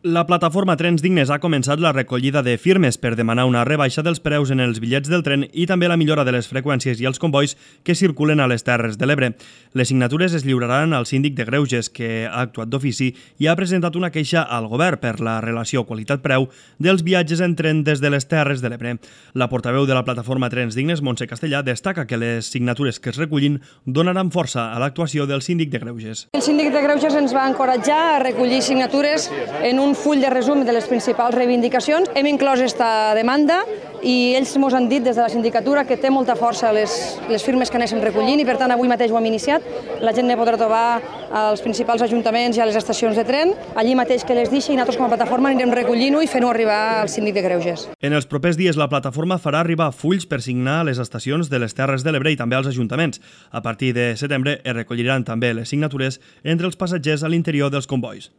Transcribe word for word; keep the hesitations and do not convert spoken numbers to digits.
La plataforma Trens Dignes ha començat la recollida de firmes per demanar una rebaixa dels preus en els bitllets del tren i també la millora de les freqüències i els convois que circulen a les Terres de l'Ebre. Les signatures es lliuraran al síndic de Greuges, que ha actuat d'ofici i ha presentat una queixa al govern per la relació qualitat-preu dels viatges en tren des de les Terres de l'Ebre. La portaveu de la plataforma Trens Dignes, Montse Castellà, destaca que les signatures que es recullin donaran força a l'actuació del síndic de Greuges. El síndic de Greuges ens va encoratjar a recollir signatures en un un full de resum de les principals reivindicacions. Hem inclòs aquesta demanda i ells ens han dit des de la sindicatura que té molta força les, les firmes que anéssim recollint i per tant avui mateix ho hem iniciat. La gent ne podrà trobar als principals ajuntaments i a les estacions de tren, allí mateix que les deixi i nosaltres com a plataforma anirem recollint-ho i fent-ho arribar al síndic de Greuges. En els propers dies la plataforma farà arribar fulls per signar a les estacions de les Terres de l'Ebre i també als ajuntaments. A partir de setembre es recolliran també les signatures entre els passatgers a l'interior dels convois.